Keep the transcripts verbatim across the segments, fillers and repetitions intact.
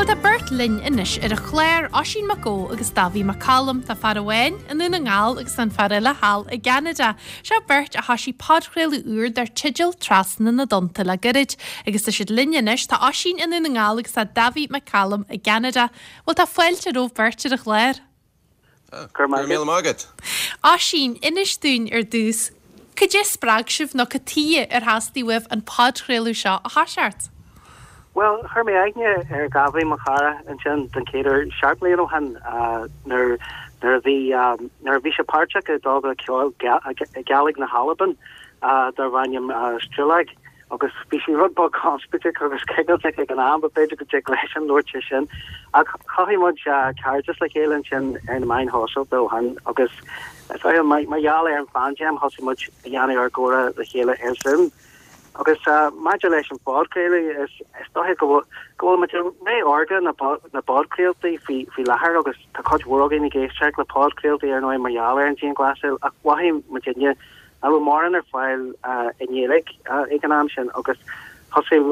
Bhuel tá beirt linn anois ar an chlár Oisín Mac Ó agus Dáibhí Mac Coluim tá fear amháin i nDún na nGall agus an fear eile thall i gCeanada. Seo beirt a thosaigh podchraoladh úr dar teideal Trasna na dTonnta le gairid, agus tá siad linn anois tá Oisín i nDún na nGall agus tá Dáibhí Mac Coluim i gCeanada. Bhuel tá fáilte romhaibh beirt ar an chlár. Gur míle maith. Oisín inis dúinn ar dtús, Cad é spreag sibh nó cad chuige ar theastaigh uaibh an podchraoladh seo a thoiseacht. Well chuir mé aithne ar Dháibhí mo chara ansin den chéad uair seacht mbliana ó shin nuair nuair a bhí nuair a bhí sé páirteach i dtogra ceoil Gaeilge na hAlban darb ainm Struilag agus bhí sé rud beag conspóideach agus cigilteach ag an am b'fhéidir go dtig leis an labhairt sin ach chothaigh muid cairdeas le chéile ansin ar na meáin shóisialta ó shin agus mar gheall ar an phaindéim thosaigh muid a dhéanamh ár gcomhrá le chéile ar Zoom. Agus maidir leis an phodchraoladh is is dócha go bhfuil muid ré órga na na bpodchraoltaí faoi faoi láthair agus tá cuid mhór againn ag éisteacht le podchraoltaí ar ndóigh mar gheall ar an dianghlasáil ach mhothaigh muidinne nach raibh mórán ar fáil i nGaeilge ag an am sin agus thosaigh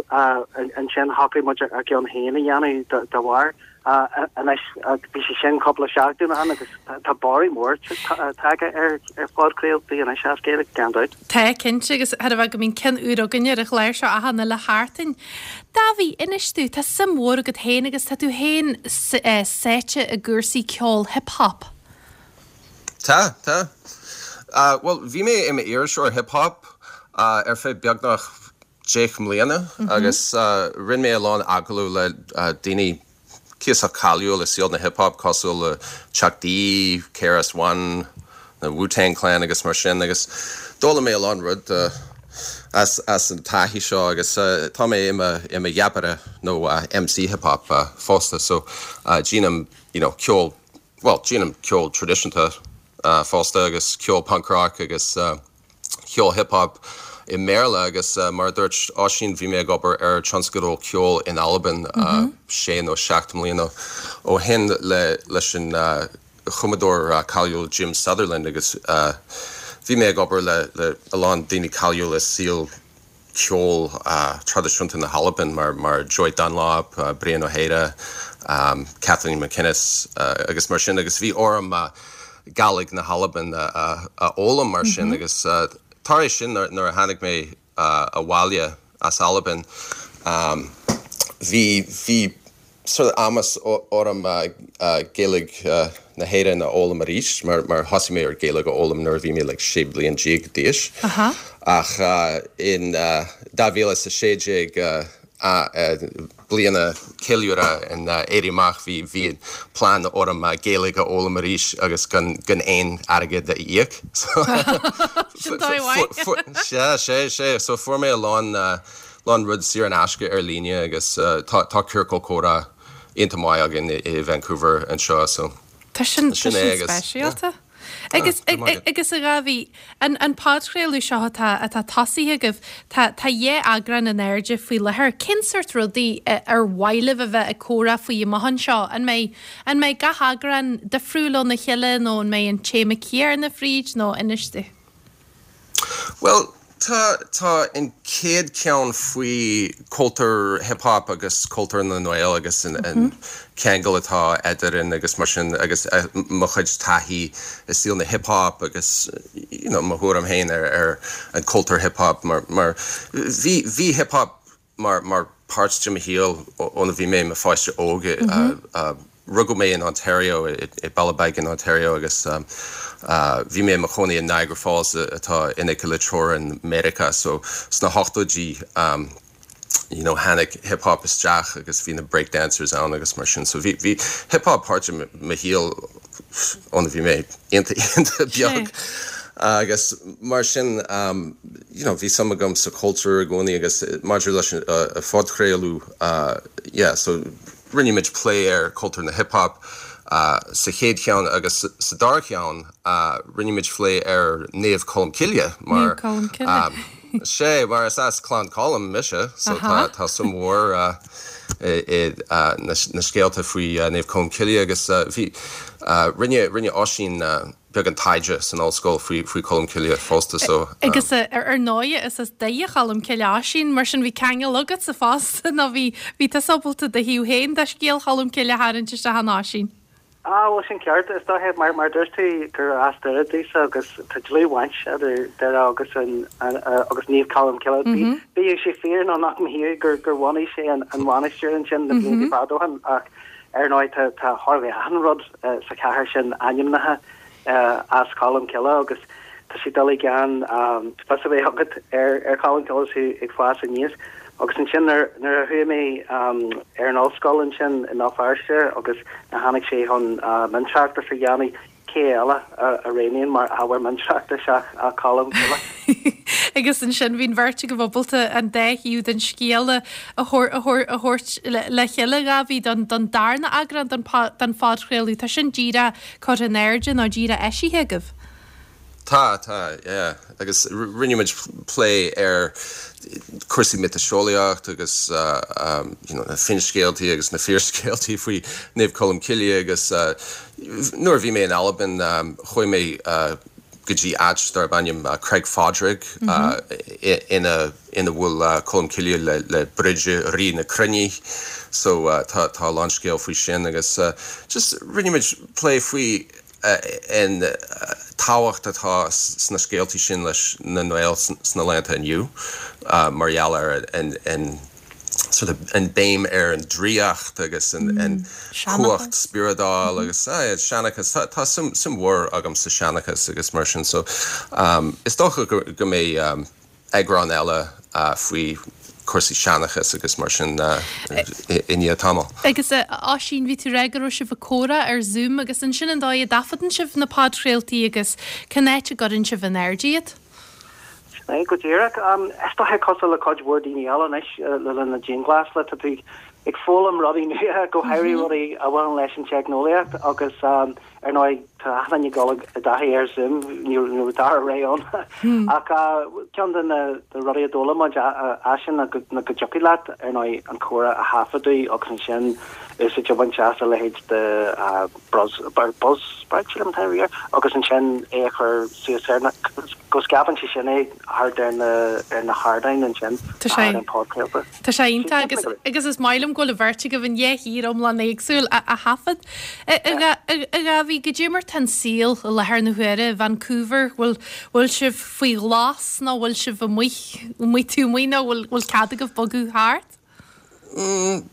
ansin shocraigh muid ár gceann féin a dhéanamh dá bharr anois bhí sé sin cúpla seachtain ann agus tá borradh mór tagtha ar ar phodchraoltaí anois as Gaeilge gan dabht. Tá cinnte agus thar a bheith go mbíonn ceann úr againn ar an chlár seo achan uile sheachtain. Dáibhí inis dúinn tá suim mhór agat féin agus tá tú féin sáite i gcúrsaí ceol hip-hop. Tá tá. Uh, well, bhí mé i m'iriseoir hip-hop uh, ar feadh beagnach deich mbliana mm -hmm. agus uh, rinne mé a lán agallamh le uh, daoine cuíosach cáiliúil i saol na hip-hop cosúil le Chuck D, KRS One, na Wu-Tang Clan agus mar sin agus d'fhoghlaim mé a lán rud uh, as, as an taithí seo agus uh, tá mé i mo gheapaire nó uh, MC hip-hop uh, fosta so uh, déanaim you know, ceol well déanaim ceol traidisiúnta uh, fosta agus ceol punk rock agus uh, ceol hip-hop i mBéarla agus uh, mar dúirt Oisín bhí mé ag obair ar tionscadal ceol in Albain uh, mm -hmm. sé nó seacht mbliana ó shin le leis an uh, chumadóir uh, cáiliúil Jim Sutherland agus uh, bhí mé ag obair le le a lán daoine cáiliúil i saol ceol uh, traidisiúnta na hAlban mar mar Joy Dunlop, uh, Brian Ó hAodha, um, Kathleen MacInnes uh, agus mar sin agus bhí orm uh, Gàidhlig na hAlban uh, uh, a fhoghlaim mar sin mm -hmm. agus uh, tar éis sin nuair a tháinig mé uh, abhaile as Albain um, bhí bhí sort of amas orm uh, uh, Gaeilge uh, na hÉireann a fhoghlaim arís mar mar thosaigh mé ar Gaeilge a fhoghlaim nuair bhí mé like, sé bliana déag d'aois ach uh, in uh, dhá mhíle a sé déag uh, uh, bliana ceiliúradh an uh, Éirí Amach bhí bhí plean orm uh, Gaeilge a fhoghlaim arís agus gan gan aon airgead a íoc. sé sé sé so fuair mé a lán uh, lán rud saor in aisce ar líne agus uh, tá tá ciorcal comhrá iontach maith againn i, i Vancouver anseo so. Tá sin speisialta. Agus agus a Dháibhí an an podchraoladh seo atá atá tosaithe agaibh tá tá dhá eagrán in airde faoi láthair cén sórt rudaí ar mhaith libh a bheith ag comhrá faoi amach anseo an mbeidh an mbeidh gach eagrán difriúil óna chéile nó an mbeidh an téama céanna fríd nó inis dúinn. Well, Tá tá an chéad ceann faoi cultúr hip-hop agus cultúr na nGael agus an, mm -hmm. an ceangal atá eadrainn agus mar sin agus uh, mo chuid taithí i saol na hip-hop agus you know, mo thuairim féin ar ar an cultúr hip-hop mar mar bhí bhí hip-hop mar mar páirt de mo shaol óna bhí mé i mo pháiste óg mm -hmm. uh, uh, Rugadh mé in Ontario i, i Ballybeg in Ontario agus um, uh, bhí mé i mo chónaí in Niagara Falls atá in aice le teorainn Meiriceá so sna hochtóidí um, you know, tháinig hip-hop isteach agus bhí na breakdancers ann agus mar sin so bhí bhí hip-hop páirt de mo shaol óna bhí mé iontach beag. agus mar sin um, you know, bhí suim agam sa cultúr i gcónaí agus maidir leis uh, a phodchraoladh uh, yeah, so rinne muid plé ar cultúr na hip-hop uh, sa chéad cheann agus sa dara ceann uh, rinne muid plé ar Naomh Colm Cille mar um, sé mar is as Clann Coluim mise so tá tá suim mhór uh, i, uh, na, na scéalta faoi uh, Naomh Colm Cille agus uh, bhí uh, rinne rinne Oisín uh, beagán taighde san ollscoil faoi faoi Colm Cille fosta so. Agus ar ndóigh is as Doire Cholm Cille Oisín, mar sin bhí ceangal agatsa fosta nó bhí bhí tusa ábalta do thaobh féin de scéal Cholm Cille a tharraingt isteach ann Oisín. Ah bhuel sin ceart, is dóiche mar mar dúirt tú gur as Doire domhsa agus tá dlúthbhaint idir Doire agus an agus Naomh Colm Cille. Bíodh sé fíor nó nach mbíodh gur gur bhunaigh sé an an mhainistir ansin na blianta fada ó shin ach ar ndóigh tá tá chóir a bheith achan rud sa chathair sin ainmnithe as Colm Cille agus tá sé doiligh gan fios a bheith agat ar ar Cholm Cille is tú ag fás aníos. Agus ansin nuair nuair a chuaigh mé ar an ollscoil ansin i mBéal Feirste agus nuair a tháinig sé chun miontráchtas a dhéanamh, cé eile a roghnaíonn mar ábhar miontráchtais ach ach Colm Cille. Agus ansin bhí an bheirt agaibh ábalta an dá thaobh den scéal a thabhairt le chéile, a Dháibhí, don darna eagrán den phodchraoladh. Tá sin díreach curtha in airde nó díreach eisithe agaibh? Tá, tá, yeah. Agus rinne muid plé ar cúrsaí miotaseolaíocht agus you know na finscéaltaí agus na fíorscéaltaí faoi Naomh Colm Cille agus nuair a bhí mé in Albain chuaigh mé go dtí áit darb ainm Creag Phádraig ina ina bhfuil Colm Cille le le Brighde Rí na Cruinne so tá tá a lán scéal faoi sin agus just rinne muid plé faoi an tábhacht atá sna scéaltaí sin leis na nGaeil sna laethanta inniu mar gheall ar an an sort of an béim ar an draíocht agus an an cumhacht spioradálta agus seanchas tá suim suim mhór agam sa seanchas agus mar sin so um, is dócha go, go mbeidh um, eagrán eile uh, faoi cúrsaí seanchas agus mar sin uh, i ndiaidh tamall. Agus uh, Oisín bhí tú ag rá go raibh sibh ag comhrá ar Zoom agus ansin an dóigh a dtaifeadann sibh na podchraoltaí agus cén áit a gcuireann sibh in airde iad? É go díreach is dóiche cosúil le cuid mhór daoine eile anois le linn na dianghlasála tá tú ag foghlaim rudaí nua go háirithe rudaí a bhaineann leis an teicneolaíocht agus ar ndóigh tá achan duine ag dul i dtaithí ar Zoom ní raibh dara ré ann ach ceann de na rudaí a d'fhoghlaim muid ansin ná go dtiocfadh leat ar ndóigh an comhrá a thaifeadadh agus ansin úsáid a bhaint as a leithéid de Buzz Buzzsprout sílim atá air agus ansin é a chur suas ar na go scaipeann sé sin é thart ar na ar na hardáin ansin Tá sé an podchraolta. Tá sé iontach agus agus is maith liom go bhfuil an bheirt agaibh in dhá thír iomlán éagsúil a a thaifead. A Dháibhí goidé mar tá an saol i láthair na huaire i Vancouver, bhfuil bhfuil sibh faoi ghlas nó bhfuil sibh amuigh amuigh tú amuigh nó bhfuil bhfuil cead agaibh bogadh thart? Mm,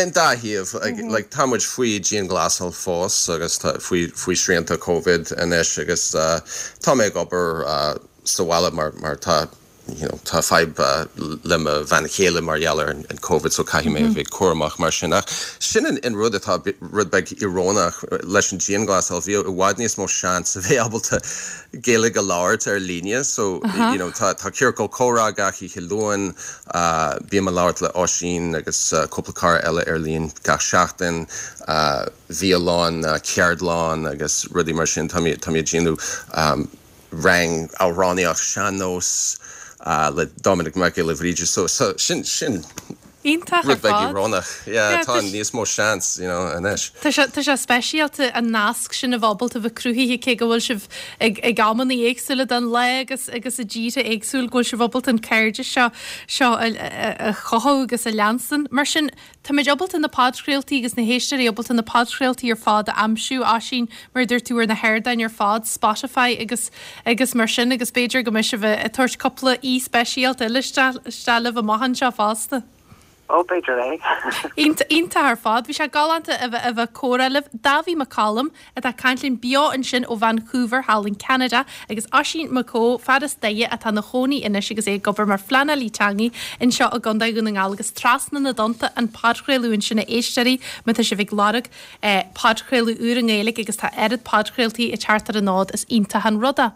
an dá thaobh like tá muid faoi dianghlasáil fós agus faoi faoi srianta COVID anois agus uh, tá mé ag obair uh, sa bhaile mar mar tá you know, tá fadhb uh, le mo bhean chéile mar gheall ar an COVID so caithfidh mé mm -hmm. bheith cúramach mar sin ach sin an, an rud atá rud beag íorónach leis an dianghlasáil bhí i bhfad níos mó seans a bheith ábalta Gaeilge a labhairt ar líne so uh -huh. you know, tá tá ciorcal comhrá gach oíche Luain uh, bím ag labhairt le Oisín agus uh, cúpla cara eile ar líne gach seachtain uh, bhí a lán uh, ceardlann agus rudaí mar sin tá tá mé ag déanamh um, rang amhránaíocht sean-nós uh, le Dominic Mac Giolla Bhríde so so sin sin Iontach ar rud beag fad. íorónach yeah, Yeah, tá tá s- níos mó seans you know, anois. Tá sé tá sé speisialta an nasc sin a bheith ábalta bheith cruthaithe cé go bhfuil sibh ag ag amanna éagsúla den lá agus agus i dtíortha éagsúil go bhfuil sibh ábalta an cairdeas seo seo a, a, a chothú agus a leanstan. Mar sin táimid ábalta na podchraoltaí agus na héisteoirí ábalta na podchraoltaí ar fad a aimsiú Oisín mar dúirt tú ar na hardáin ar fad Spotify agus agus mar sin agus b'fhéidir go mbeidh sibh ag tabhairt cúpla aoi speisialta eile isteach libh amach anseo fosta. Ó b'fhéidir é. Iontach ar fad, bhí sé galánta a bheith a bheith comhrá libh Dáibhí Mac Coluim atá ag caint linn beo ansin ó Vancouver thall in Canada agus Oisín Mac Ó fear as Doire atá ina chónaí anois agus é ag obair mar phleanálaí teanga anseo i gContae Dhún na nGall agus trasna na dtonnta an podchraoladh ansin a éisteoirí má tá sibh ag lorg eh, podchraoladh úr i nGaeilge agus tá oiread podchraoltaí ag teacht ar an fhód is iontach an rud é.